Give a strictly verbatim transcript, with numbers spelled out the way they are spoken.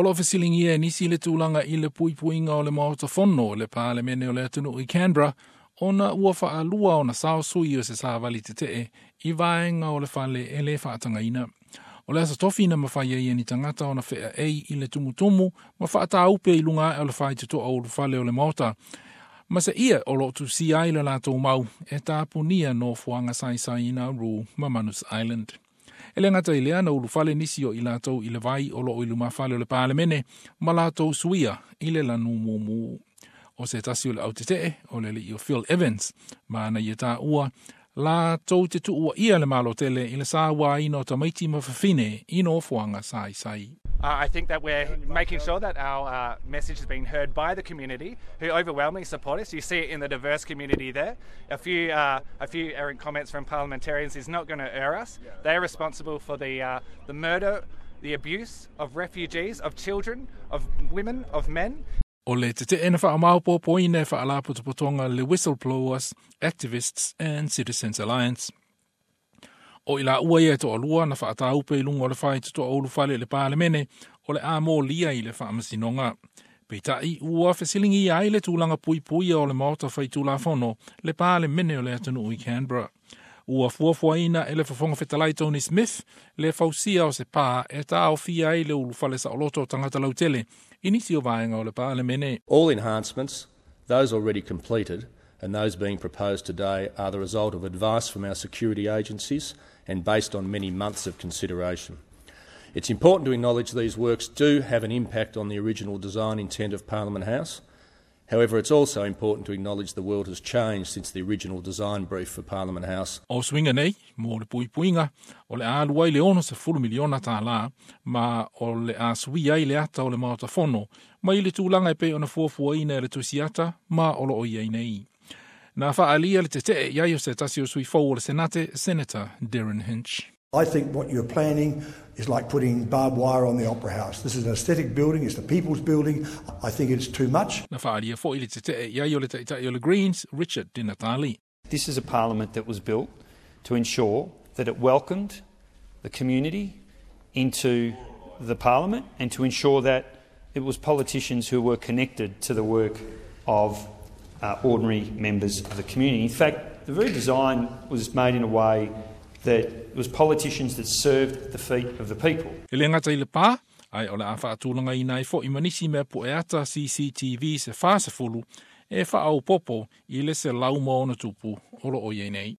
O lo o fesiligia e nisi le tulaga i le puipuiga o le Maota Fono le Palemene o le atunuu i Canberra ona ua faalua ona sao sui o se savali tetee i vaega o le fale e le faatagaina. O le aso tofi na mafai ai e ni tagata ona feaei i le tumutumu ma faataupe i luga ae o le faitotoa ulufale o le Maota. Ma se ia o lo o tusia ai le latou mau e tapunia nofoaga saisai i Nauru ma Manus Island. E le gata i lea na ulufale nisi o i latou i le vai o lo o i lumafale o le Palemene ma latou suia i le lanu mumu. O se tasi o le autetee o le alii o Phil Evans ma na ia taua latou te tuuaia le Malo tele i le sauaina o tamaiti ma fafine i nofoaga saisai. Uh, I think that we're making sure that our uh, message is being heard by the community, who overwhelmingly support us. You see it in the diverse community there. A few, uh, a few errant comments from parliamentarians is not going to err us. They're responsible for the uh, the murder, the abuse of refugees, of children, of women, of men. O le tetee na faamaopoopoina e faalapotopotoga le Whistleblowers, Activists and Citizens Alliance. O i laua ia e toalua na faataupe i luga o le faitotoa ulufale i le Palemene o le a molia i le faamasinoga. Peitai ua fesiligia ai le tulaga puipuia o le Maota Faitulafono le Palemene o le atunuu i Canberra. Ua fuafuaina e le Fofoga Fetalai Tony Smith le fausia o se pā e taofia ai le ulufale saoloto o tagata lautele i nisi o vaega o le Palemene. All enhancements, those already completed and those being proposed today, are the result of advice from our security agencies and based on many months of consideration. It's important to acknowledge these works do have an impact on the original design intent of Parliament House. However, it's also important to acknowledge the world has changed since the original design brief for Parliament House. O suiga nei, mo le puipuiga, o le a alu ai le ono sefulu miliona tālā, ma o le a suia ai le ata o le Maota Fono, mai le tulaga e pei ona fuafuaina e le tusiata ma o lo o i ai nei. Na faaalia le tetee i ai o se tasi o sui fou o le Senate, Senator Derryn Hinch. I think what you're planning is like putting barbed wire on the Opera House. This is an aesthetic building, it's the people's building. I think it's too much. Na faaalia foi le tetee i ai o le taitai o le Greens, Richard Di Natale. This is a parliament that was built to ensure that it welcomed the community into the parliament and to ensure that it was politicians who were connected to the work of uh, ordinary members of the community. In fact, the very design was made in a way that it was politicians that served at the feet of the people. E le gata i le pā, ai o le a faatulagaina ai foi ma nisi mea pueata C C T V se fa sefulu e faaopoopo i le selau ma ona tupu o lo o i ai nei.